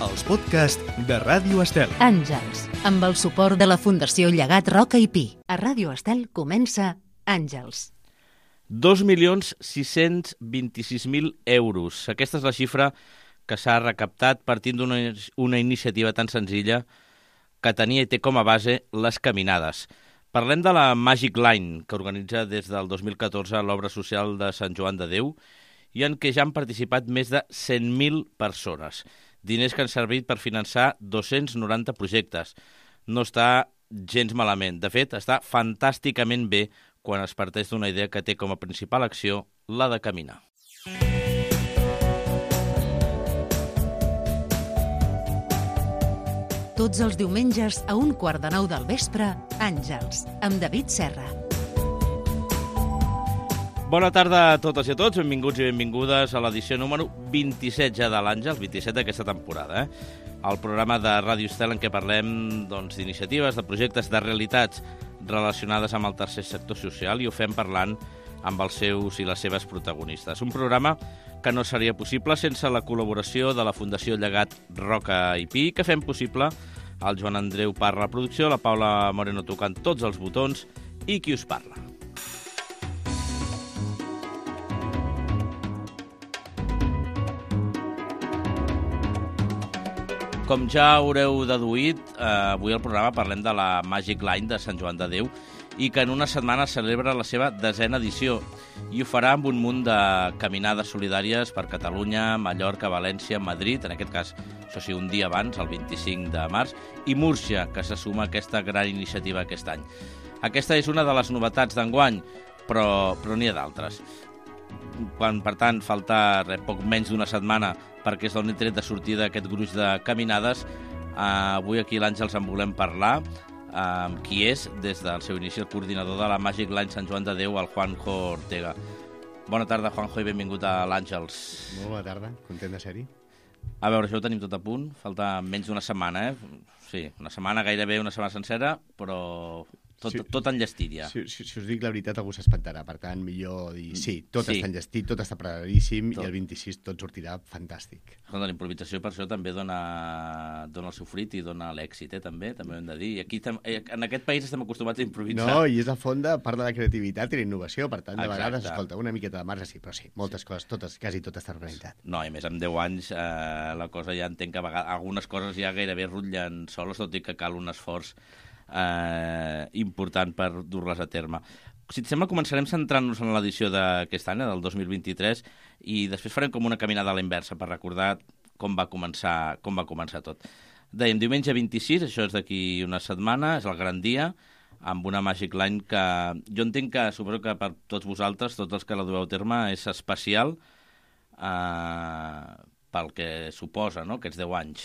els podcasts de Ràdio Estel. Àngels, amb el suport de la Fundació Llegat Roca i Pi. A Ràdio Estel comença Àngels. 2.626.000 euros. Aquesta és la xifra que s'ha recaptat partint d'una iniciativa tan senzilla que tenia i té com a base les caminades. Parlem de la Magic Line, que organitza des del 2014 l'obra social de Sant Joan de Déu i en què ja han participat més de 100.000 persones. Diners que han servit per finançar 290 projectes. No està gens malament. De fet, està fantàsticament bé quan es parteix d'una idea que té com a principal acció la de caminar. Tots els diumenges a 8:45 del vespre, Àngels, amb David Serra. Bona tarda a totes i a tots, benvinguts i benvingudes a l'edició número 27 ja de l'Àngels, 27 d'aquesta temporada. El programa de Ràdio Estel en què parlem d'iniciatives, de projectes, de realitats relacionades amb el tercer sector social i ho fem parlant amb els seus i les seves protagonistes. Un programa que no seria possible sense la col·laboració de la Fundació Llegat Roca i Pi, que fem possible el Joan Andreu Parra a la producció, la Paula Moreno tocant tots els botons i qui us parla. Com ja haureu deduït, avui al programa parlem de la Magic Line de Sant Joan de Déu i que en una setmana celebra la seva 10ª edició i ho farà amb un munt de caminades solidàries per Catalunya, Mallorca, València, Madrid, en aquest cas, això sí, un dia abans, el 25 de març, i Múrcia, que se suma a aquesta gran iniciativa aquest any. Aquesta és una de les novetats d'enguany, però n'hi ha d'altres. Quan, per tant, falta poc menys d'una setmana perquè es doni tret de sortida aquest gruix de caminades, avui aquí a l'Àngels en volem parlar amb qui és, des del seu inici, el coordinador de la Magic Line Sant Joan de Déu, el Juanjo Ortega. Bona tarda, Juanjo, i benvingut a l'Àngels. Molt bona tarda, content de ser-hi. A veure, això ho tenim tot a punt, falta menys d'una setmana, Sí, una setmana, gairebé una setmana sencera, però tot enllestit ja. Si us dic la veritat, algú s'espantarà. Per tant, millor dir sí, tot està enllestit, tot està preparadíssim i el 26 tot sortirà fantàstic. La improvisació per això també dona el seu fruit i dona l'èxit, també ho hem de dir. I aquí, en aquest país estem acostumats a improvisar. No, i és el fons de part de la creativitat i la innovació. Per tant, de vegades, escolta, una miqueta de marge sí, però sí, moltes coses, quasi tot està organitzat. No, i més amb 10 anys la cosa ja entenc que algunes coses ja gairebé rutllen soles, tot i que cal un esforç important per dur-les a terme. Si et sembla, començarem centrant-nos en l'edició d'aquest any, del 2023, i després farem com una caminada a la inversa per recordar com va començar tot. Dèiem, diumenge 26, això és d'aquí una setmana, és el gran dia, amb una Magic Line que jo entenc que, suposo que per tots vosaltres, tots els que la dueu a terme, és especial pel que suposa, no?, aquests 10 anys.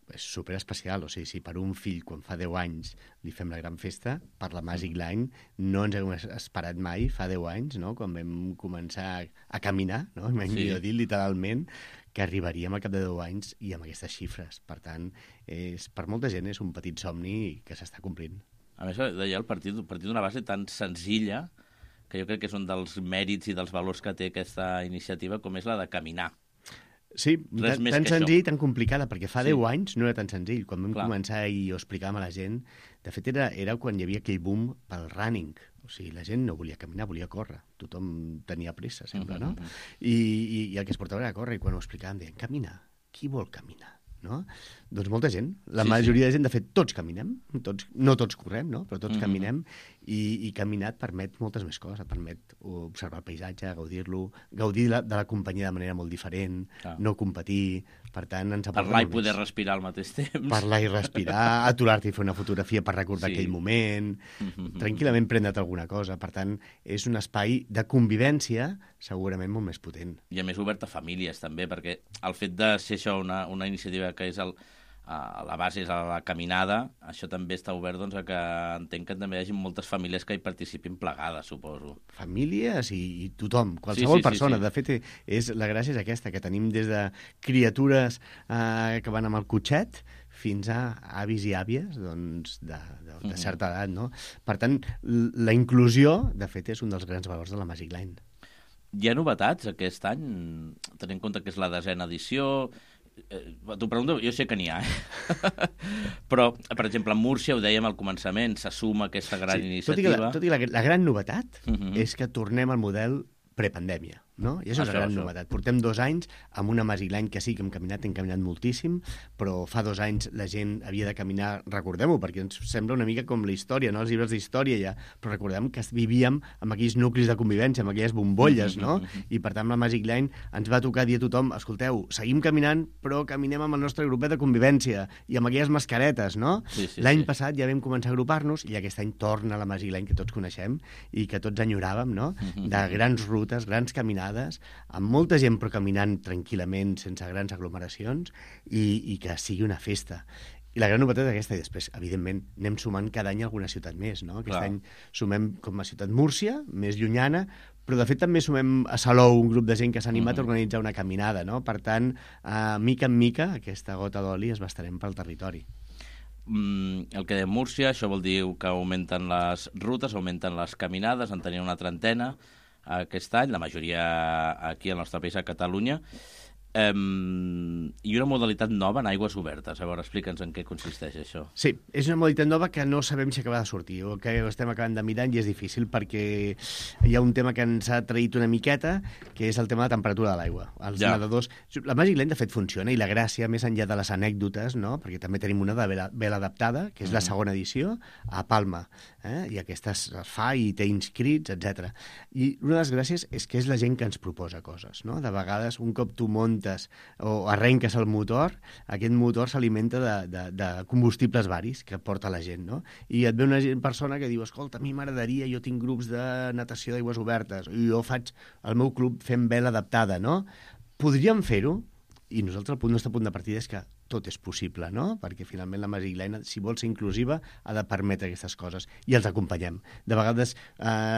És superespecial, o sigui, si per un fill quan fa 10 anys li fem la gran festa, per la Magic Line no ens hem esperat mai, fa 10 anys, no?, quan vam començar a caminar, no?, millor dit, literalment, que arribaríem al cap de 10 anys i amb aquestes xifres. Per tant, per molta gent és un petit somni que s'està complint. A més, deia el partit d'una base tan senzilla que jo crec que és un dels mèrits i dels valors que té aquesta iniciativa, com és la de caminar. Sí, tan senzill i tan complicada, perquè fa 10 anys no era tan senzill. Quan vam començar i ho explicàvem a la gent, de fet era quan hi havia aquell boom pel running. O sigui, la gent no volia caminar, volia córrer. Tothom tenia pressa, sempre, no? I el que es portava era córrer, i quan ho explicàvem deien, caminar? Qui vol caminar? No? Doncs molta gent, la majoria de gent, de fet, tots caminem, no tots correm, no? Però tots caminem, i caminar et permet moltes més coses, et permet observar el paisatge, gaudir-lo, gaudir de la companyia de manera molt diferent, no competir, per tant ens aporta parlar i poder respirar al mateix temps. Parlar i respirar, aturar-te i fer una fotografia per recordar aquell moment, tranquil·lament prendre't alguna cosa, per tant, és un espai de convivència segurament molt més potent. I a més obert a famílies també, perquè el fet de ser això una iniciativa que és la base és la caminada, això també està obert a que entenc que també hi hagi moltes famílies que hi participin plegades, suposo. Famílies i tothom, qualsevol persona. De fet, la gràcia és aquesta, que tenim des de criatures que van amb el cotxet fins a avis i àvies de certa edat, no? Per tant, la inclusió, de fet, és un dels grans valors de la Magic Line. Hi ha novetats aquest any, tenint en compte que és la 10ª edició. T'ho pregunto, jo sé que n'hi ha, però, per exemple, a Múrcia, ho dèiem al començament, s'assuma aquesta gran iniciativa. Tot i la gran novetat és que tornem al model prepandèmia, no? I és una gran novetat. Portem 2 anys amb una Masiglany que sí que hem caminat moltíssim, però fa 2 anys la gent havia de caminar, recordem-ho, perquè ens sembla una mica com la història, no? Els llibres d'història ja, però recordem que vivíem amb aquells nuclis de convivència, amb aquelles bombolles, no? I per tant la Masiglany ens va tocar dir a tothom, escolteu, seguim caminant, però caminem amb el nostre grupet de convivència i amb aquelles mascaretes, no? L'any passat ja vam començar a agrupar-nos i aquest any torna la Masiglany que tots coneixem i que tots enyoràvem, no? De grans rutes, grans caminades, amb molta gent però caminant tranquil·lament, sense grans aglomeracions, i que sigui una festa. I la gran novetat és aquesta, i després, evidentment, anem sumant cada any alguna ciutat més, no? Aquest any sumem com a ciutat Múrcia, més llunyana, però de fet també sumem a Salou un grup de gent que s'ha animat a organitzar una caminada, no? Per tant, mica en mica, aquesta gota d'oli es va estarem pel territori. El que de Múrcia, això vol dir que augmenten les rutes, augmenten les caminades, en tenia una trentena aquest any, la majoria aquí al nostre país, a Catalunya, i una modalitat nova en aigües obertes. A veure, explica'ns en què consisteix això. Sí, és una modalitat nova que no sabem si acaba de sortir, o que estem acabant de mirar i és difícil perquè hi ha un tema que ens ha traït una miqueta, que és el tema de la temperatura de l'aigua. Els nedadors... La Masiglany, de fet, funciona, i la gràcia, més enllà de les anècdotes, no? Perquè també tenim una de vela adaptada, que és la segona edició, a Palma, i aquesta es fa i té inscrits, etc. I una de les gràcies és que és la gent que ens proposa coses, no? De vegades, un cop tu muntes o arrenques el motor, aquest motor s'alimenta de combustibles varis que porta la gent, no? I et ve una persona que diu, escolta, a mi m'agradaria, jo tinc grups de natació d'aigües obertes, i jo faig el meu club fent vela adaptada, no? Podríem fer-ho, i nosaltres el nostre punt de partida és que tot és possible, no? Perquè finalment la Masiglany, si vol ser inclusiva, ha de permetre aquestes coses, i els acompanyem. De vegades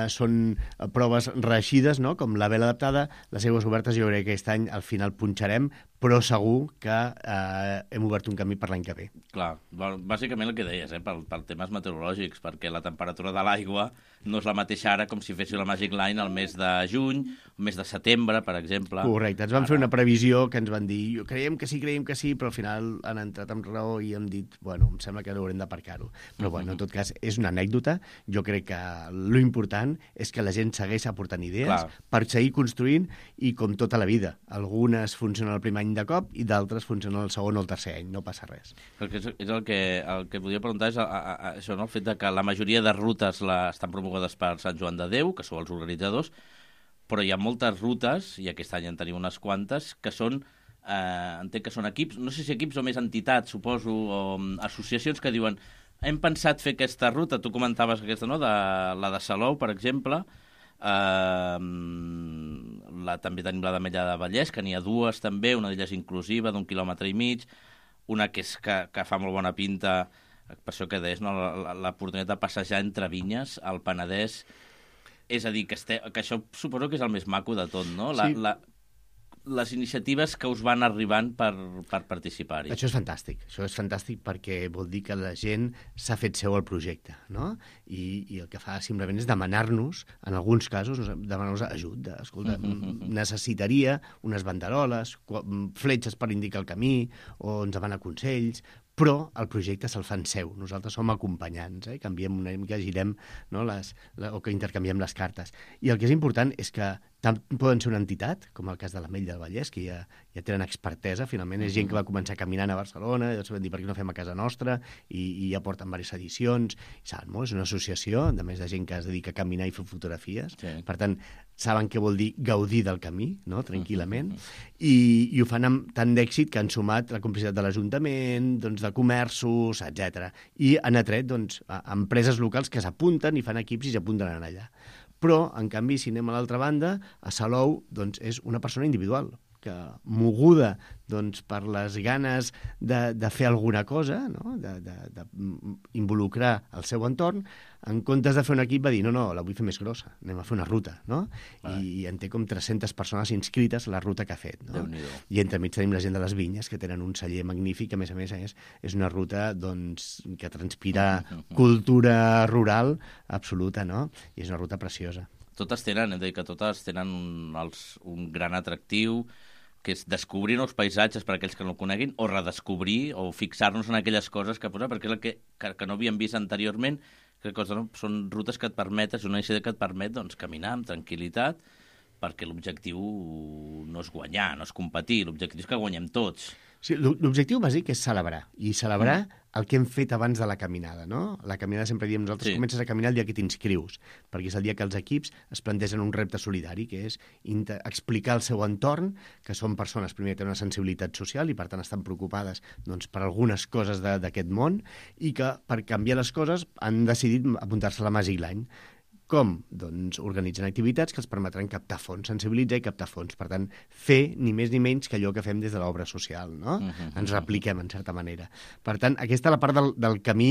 són proves reeixides, no? Com la vela adaptada, les aigües obertes jo crec que aquest any al final punxarem, però segur que hem obert un camí per l'any que ve. Clar, bàsicament el que deies, per temes meteorològics, perquè la temperatura de l'aigua no és la mateixa ara com si féssiu la Masiglany al mes de juny, al mes de setembre, per exemple. Correcte, ens van fer una previsió que ens van dir, creiem que sí, però al final han entrat amb raó i hem dit, bueno, em sembla que haurem d'aparcar-ho. Però, bueno, en tot cas, és una anècdota. Jo crec que l'important és que la gent segueix aportant idees per seguir construint, i com tota la vida. Algunes funcionen el primer any de cop i d'altres funcionen el segon o el tercer any. No passa res. Perquè és el que volia preguntar és això, no? El fet que la majoria de rutes estan promogudes per Sant Joan de Déu, que són els organitzadors, però hi ha moltes rutes, i aquest any en tenim unes quantes, que són entenc que són equips, no sé si equips o més entitats, suposo, o associacions que diuen hem pensat fer aquesta ruta, tu comentaves aquesta, no?, la de Salou, per exemple, també tenim la d'Ametlla de Vallès, que n'hi ha 2 també, una d'elles inclusiva, d'1,5 quilòmetres, una que fa molt bona pinta, per això que deies, no?, l'oportunitat de passejar entre vinyes al Penedès, és a dir, que això suposo que és el més maco de tot, no? Sí. Les iniciatives que us van arribant per participar-hi. Això és fantàstic perquè vol dir que la gent s'ha fet seu el projecte, no? I el que fa simplement és demanar-nos, en alguns casos, demanar-nos ajut. Escolta, necessitaria unes banderoles, fletxes per indicar el camí, o ens demanar consells, però el projecte se'l fan seu. Nosaltres som acompanyants, canviem una mica, girem, no, o que intercanviem les cartes. I el que és important és que tant poden ser una entitat, com el cas de l'Ametlla del Vallès, que ja tenen expertesa, finalment és gent que va començar caminant a Barcelona, i llavors van dir per què no fem a casa nostra, i ja porten diverses edicions, i saben molt, és una associació, a més de gent que es dedica a caminar i fer fotografies, per tant, saben què vol dir gaudir del camí, no?, tranquil·lament, i ho fan amb tant d'èxit que han sumat la complicitat de l'Ajuntament, doncs, de comerços, etc. I han atret, doncs, empreses locals que s'apunten i fan equips i s'apunten a anar allà. Però, en canvi, si anem a l'altra banda, a Salou, doncs, és una persona individual, que moguda, doncs, per les ganes de fer alguna cosa, no?, d'involucrar el seu entorn, en comptes de fer un equip va dir, no, la vull fer més grossa, anem a fer una ruta, no? I en té com 300 persones inscrites a la ruta que ha fet, no? I entremig tenim la gent de les vinyes, que tenen un celler magnífic, a més és una ruta, doncs, que transpira cultura rural absoluta, no? I és una ruta preciosa. Totes tenen, hem de dir que totes tenen un gran atractiu, que és descobrir nous paisatges per a aquells que no el coneguin, o redescobrir, o fixar-nos en aquelles coses que perquè és el que no havíem vist anteriorment, que són rutes que et permeten, és una idea que et permet doncs, caminar amb tranquil·litat, perquè l'objectiu no és guanyar, no és competir, l'objectiu és que guanyem tots. Sí, l'objectiu bàsic és celebrar, i celebrar el que hem fet abans de la caminada, no? La caminada sempre diem, nosaltres comences a caminar el dia que t'inscrius, perquè és el dia que els equips es plantegen un repte solidari, que és explicar al seu entorn que són persones, primer, que tenen una sensibilitat social i, per tant, estan preocupades doncs, per algunes coses d'aquest món i que, per canviar les coses, han decidit apuntar-se a la Magic Line. Com? Doncs organitzen activitats que els permetran captar fons, sensibilitzar i captar fons. Per tant, fer ni més ni menys que allò que fem des de l'obra social, no? Ens repliquem, en certa manera. Per tant, aquesta és la part del camí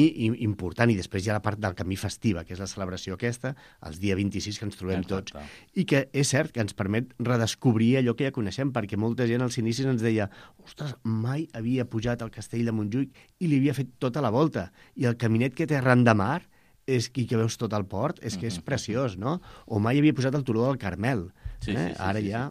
important, i després hi ha la part del camí festiva, que és la celebració aquesta, els dia 26 que ens trobem tots. I que és cert que ens permet redescobrir allò que ja coneixem, perquè molta gent als inicis ens deia ostres, mai havia pujat al castell de Montjuïc i li havia fet tota la volta. I el caminet que té arran de mar és que veus tot el port, és que és preciós, no? O mai havia posat el turó del Carmel. Ara ja,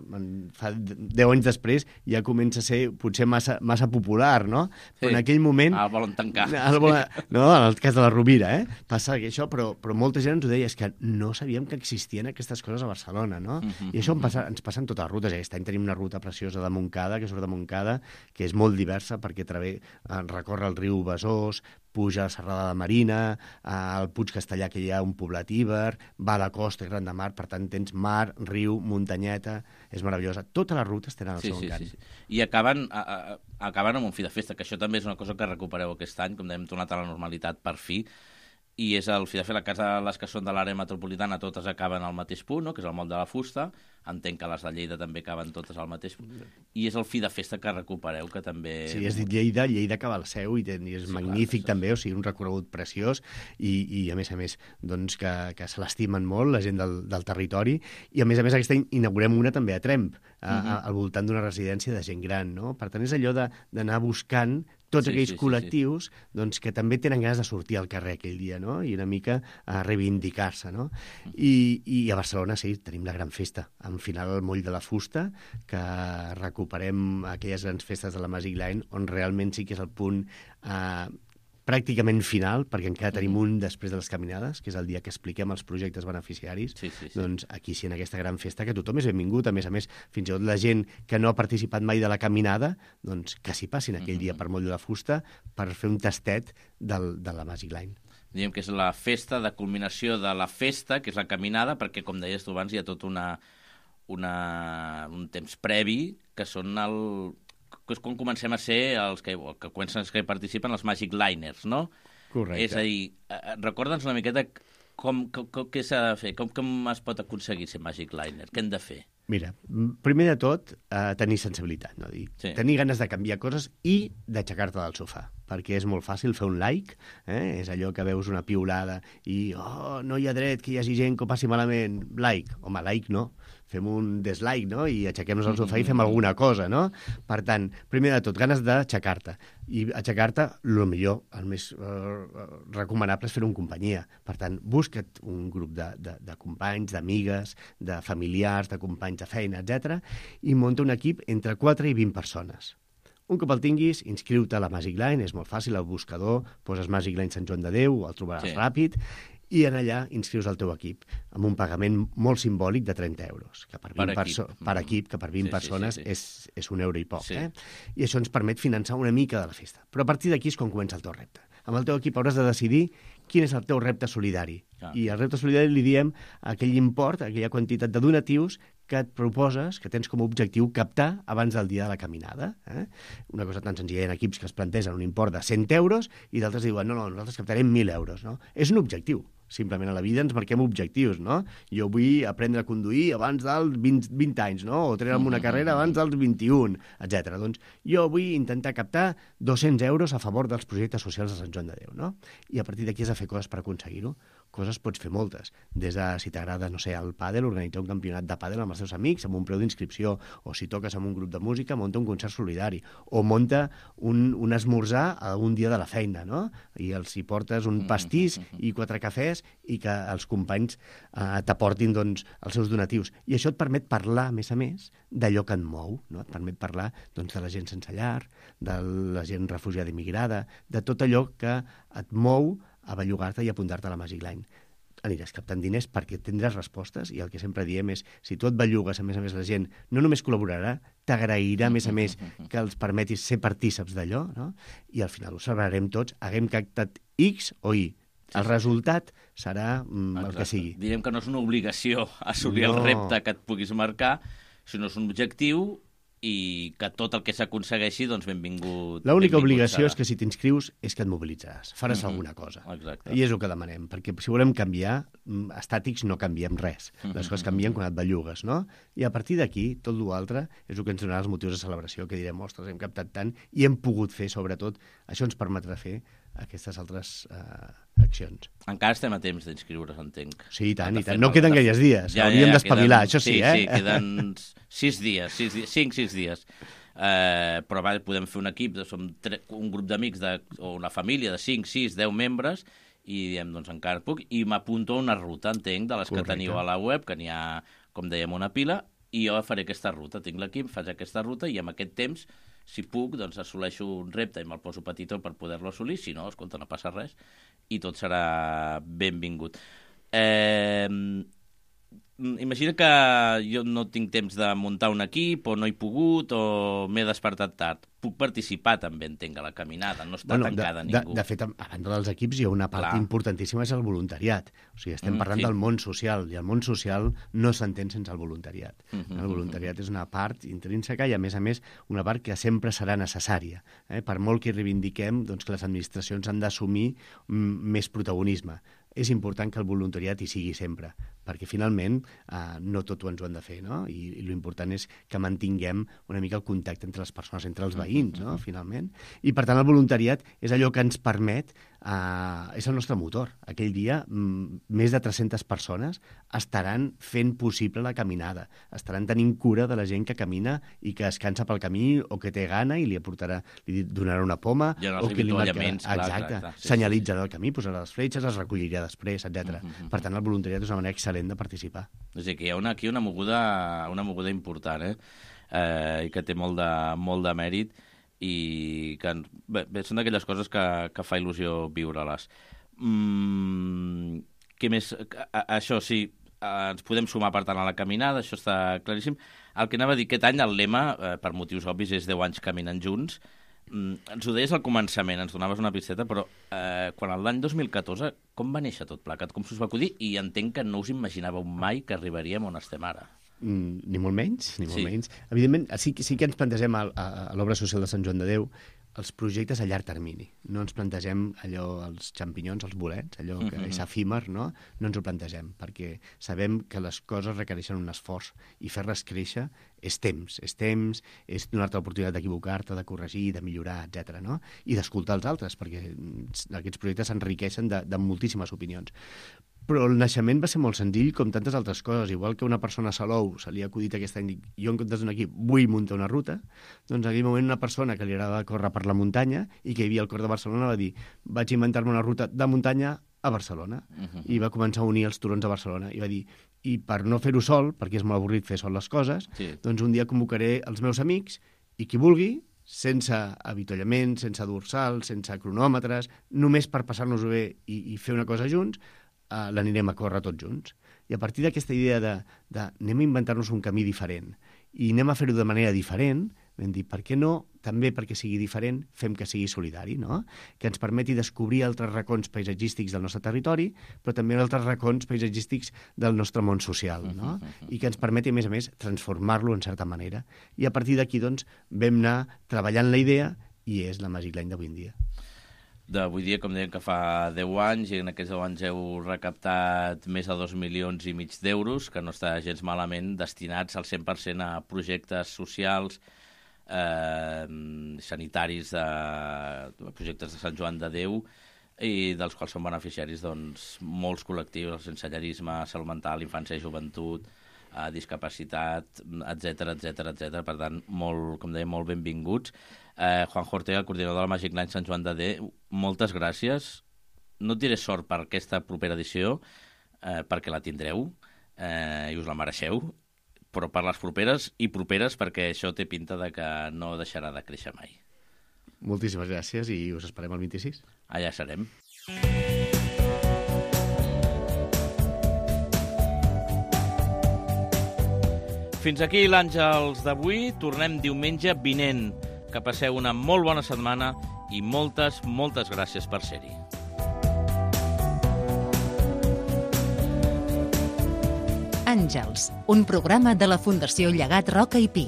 fa 10 anys després, ja comença a ser potser massa popular, no? Però en aquell moment... El volen tancar. No, en el cas de la Rovira, passa això, però molta gent ens ho deia, és que no sabíem que existien aquestes coses a Barcelona, no? I això ens passa en totes les rutes. Aquest any tenim una ruta preciosa de Montcada, que surt de Montcada, que és molt diversa, perquè recorre el riu Besòs, puja a la Serrada de Marina, al Puig Castellà, que hi ha un poblat íber, va a la costa i Gran de Mar, per tant tens mar, riu, muntanyeta, és meravellosa. Totes les rutes tenen el seu encant. I acaben amb un fi de festa, que això també és una cosa que recupereu aquest any, com hem tornat a la normalitat per fi, i és el fi de fer la casa, les que són de l'àrea metropolitana, totes acaben al mateix punt, no? Que és el Moll de la Fusta. Entenc que les de Lleida també acaben totes al mateix punt. I és el fi de festa que recupereu, que també... Sí, has dit Lleida acaba al seu, i és magnífic també, o sigui, un recorregut preciós, i a més, doncs que se l'estimen molt, la gent del territori, i a més aquest any inaugurem una també a Tremp, al voltant d'una residència de gent gran, no? Per tant, és allò d'anar buscant tots aquells col·lectius doncs, que també tenen ganes de sortir al carrer aquell dia, no? I una mica a reivindicar-se, no? I a Barcelona, sí, tenim la gran festa, en final al Moll de la Fusta, que recuperem aquelles grans festes de la Magic Line, on realment sí que és el punt pràcticament final, perquè encara tenim un després de les caminades, que és el dia que expliquem els projectes beneficiaris. Doncs aquí sí, en aquesta gran festa, que tothom és benvingut, a més, fins i tot la gent que no ha participat mai de la caminada, doncs que s'hi passin aquell dia per Moll de la Fusta per fer un tastet de la Magic Line. Diguem que és la festa de culminació de la festa, que és la caminada, perquè, com deies tu abans, hi ha tot un temps previ, que són que és quan comencem a ser els que participen els Magic Liners, no? Correcte. És a dir, recorda'ns una miqueta què s'ha de fer, com es pot aconseguir ser Magic Liner, què hem de fer? Mira, primer de tot, tenir sensibilitat, no? Tenir ganes de canviar coses i d'aixecar-te del sofà, perquè és molt fàcil fer un like, és allò que veus una piulada i no hi ha dret que hi hagi gent que ho passi malament, like. Home, like no, fem un dislike, no? I aixequem-nos al sofà i fem alguna cosa, no? Per tant, primer de tot, ganes d'aixecar-te. I aixecar-te, el millor, el més recomanable és fer-ho en companyia. Per tant, busca't un grup de companys, d'amigues, de familiars, de companys de feina, etc. i munta un equip entre 4 i 20 persones. Un cop el tinguis, inscriu-te a la Magic Line, és molt fàcil, al buscador, poses Magic Line Sant Joan de Déu, el trobaràs ràpid, i en allà inscrius el teu equip amb un pagament molt simbòlic de 30 euros, que per 20 equip, que per 20 persones és un euro i poc. I això ens permet finançar una mica de la festa. Però a partir d'aquí és quan comença el teu repte. Amb el teu equip hauràs de decidir quin és el teu repte solidari. I al repte solidari li diem aquell import, aquella quantitat de donatius que et proposes, que tens com a objectiu captar abans del dia de la caminada. Una cosa tan senzilla, hi ha equips que es plantegen un import de 100 euros i d'altres diuen, no, nosaltres captarem 1.000 euros. No? És un objectiu. Simplement a la vida ens marquem objectius, no? Jo vull aprendre a conduir abans dels 20 anys, no? O treure'm una carrera abans dels 21, etc. Doncs jo vull intentar captar 200 euros a favor dels projectes socials de Sant Joan de Déu, no? I a partir d'aquí has de fer coses per aconseguir-ho. Coses pots fer moltes. Des de, si t'agrada, no sé, el pàdel, organitzar un campionat de pàdel amb els teus amics, amb un preu d'inscripció, o si toques amb un grup de música, munta un concert solidari, o munta un esmorzar a un dia de la feina, no? I els hi portes un pastís i 4 cafès idees i que els companys t'aportin doncs, els seus donatius. I això et permet parlar, a més, d'allò que et mou, no? Et permet parlar doncs, de la gent sense llar, de la gent refugiada i migrada, de tot allò que et mou a bellugar-te i apuntar-te a la Magic Line. Aniràs captant diners perquè tindràs respostes i el que sempre diem és, si tu et bellugues, a més, la gent no només col·laborarà, t'agrairà, a més, que els permetis ser partíceps d'allò, no? I al final ho celebrarem tots, haguem captat X o Y. El resultat serà el que sigui. Direm que no és una obligació assolir el repte que et puguis marcar, sinó és un objectiu i que tot el que s'aconsegueixi, doncs benvingut. L'única obligació és que si t'inscrius és que et mobilitzaràs, faràs alguna cosa. Exacte. I és el que demanem, perquè si volem canviar, estàtics no canviem res. Les coses canvien quan et bellugues, no? I a partir d'aquí, tot l'altre és el que ens donarà els motius de celebració, que direm, ostres, hem captat tant i hem pogut fer, sobretot, això ens permetrà fer aquestes altres accions. Encara estem a temps d'inscriure's, entenc. Sí, i tant. No queden gaires dies. Hauríem d'espavilar, això sí, Sí, queden 6 dies, 5-6 dies. Però podem fer un equip, som un grup d'amics o una família de 5, 6, 10 membres i diem, doncs encara puc, i m'apunto a una ruta, entenc, de les que teniu a la web, que n'hi ha, com dèiem, una pila, i jo faré aquesta ruta. Tinc l'equip, faig aquesta ruta i amb aquest temps, si puc, doncs assoleixo un repte i me'l poso petitó per poder-lo assolir, si no, escolta, no passa res, i tot serà benvingut. Imagina que jo no tinc temps de muntar un equip, o no he pogut, o m'he despertat tard. Puc participar també, entenc, a la caminada, no està tancada ningú. De fet, a banda dels equips hi ha una part importantíssima, és el voluntariat. O sigui, estem parlant del món social, i el món social no s'entén sense el voluntariat. El voluntariat és una part intrínseca i, a més, una part que sempre serà necessària. Per molt que reivindiquem, doncs, que les administracions han d'assumir més protagonisme. És important que el voluntariat hi sigui sempre, perquè finalment no tot ens ho han de fer, no? I l'important és que mantinguem una mica el contacte entre les persones, entre els veïns, no? Finalment. I per tant el voluntariat és allò que ens permet, és el nostre motor. Aquell dia més de 300 persones estaran fent possible la caminada, estaran tenint cura de la gent que camina i que es cansa pel camí o que té gana i li donarà una poma o que li marcarà, senyalitzarà el camí, posarà les fletxes, es recollirà després, etc. Per tant, el voluntariat és una manera excel·lent de participar. És a dir, que hi ha aquí una moguda important, i que té molt de mèrit, i que són d'aquelles coses que fa il·lusió viure-les. Què més? Això sí, ens podem sumar per tant a la caminada, això està claríssim. El que anava a dir, aquest any el lema, per motius obvis, és 10 anys caminant junts. Ens ho deies al començament, ens donaves una pisteta, però quan l'any 2014, com va néixer tot plegat? Com s'us va acudir? I entenc que no us imaginàveu mai que arribaríem on estem ara. Ni molt menys, menys. Evidentment, sí que ens plantegem a l'obra social de Sant Joan de Déu els projectes a llarg termini. No ens plantegem allò, els xampinyons, els bolets, allò que és efímer, no? No ens ho plantegem, perquè sabem que les coses requereixen un esforç i fer-les créixer és temps, és donar-te l'oportunitat d'equivocar-te, de corregir, de millorar, etc. No? I d'escoltar els altres, perquè aquests projectes s'enriqueixen de moltíssimes opinions. Però el naixement va ser molt senzill, com tantes altres coses. Igual que una persona a Salou se li ha acudit aquest any, jo en comptes d'un equip vull muntar una ruta, doncs en aquell moment una persona que li agrada córrer per la muntanya i que hi havia al cor de Barcelona va dir, vaig inventar-me una ruta de muntanya a Barcelona. I va començar a unir els turons a Barcelona. I va dir, i per no fer-ho sol, perquè és molt avorrit fer sol les coses, doncs un dia convocaré els meus amics i qui vulgui, sense avituallament, sense dorsal, sense cronòmetres, només per passar-nos-ho bé i fer una cosa junts, l'anirem a córrer tots junts. I a partir d'aquesta idea de anem a inventar-nos un camí diferent i anem a fer-ho de manera diferent, vam dir, per què no, també perquè sigui diferent, fem que sigui solidari, no? Que ens permeti descobrir altres racons paisatgístics del nostre territori, però també altres racons paisatgístics del nostre món social, no? I que ens permeti, a més, transformar-lo en certa manera. I a partir d'aquí, doncs, vam anar treballant la idea i és la Magic Line d'avui en dia. D'avui dia, com dèiem que fa 10 anys, i en aquests 10 anys heu recaptat més de 2,5 milions d'euros, que no està gens malament, destinats al 100% a projectes socials, sanitaris, projectes de Sant Joan de Déu, i dels quals són beneficiaris doncs, molts col·lectius, el sensellarisme, salut mental, infància i joventut, discapacitat, etc. Per tant, com deia, molt benvinguts. Juanjo Ortega, el coordinador de la Magic Line Sant Joan de Déu, moltes gràcies no et diré sort per aquesta propera edició, perquè la tindreu i us la mereixeu, però per les properes i properes, perquè això té pinta de que no deixarà de créixer mai. Moltíssimes gràcies i us esperem el 26. Allà serem. Fins aquí l'Àngels d'avui. Tornem diumenge vinent. Que passeu una molt bona setmana i moltes, moltes gràcies per ser-hi. Àngels, un programa de la Fundació Llegat Roca i Pi.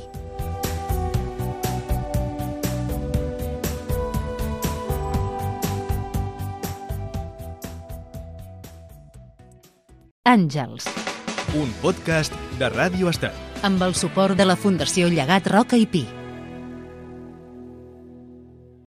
Àngels. Un podcast de Ràdio Estel. Amb el suport de la Fundació Llegat Roca i Pi.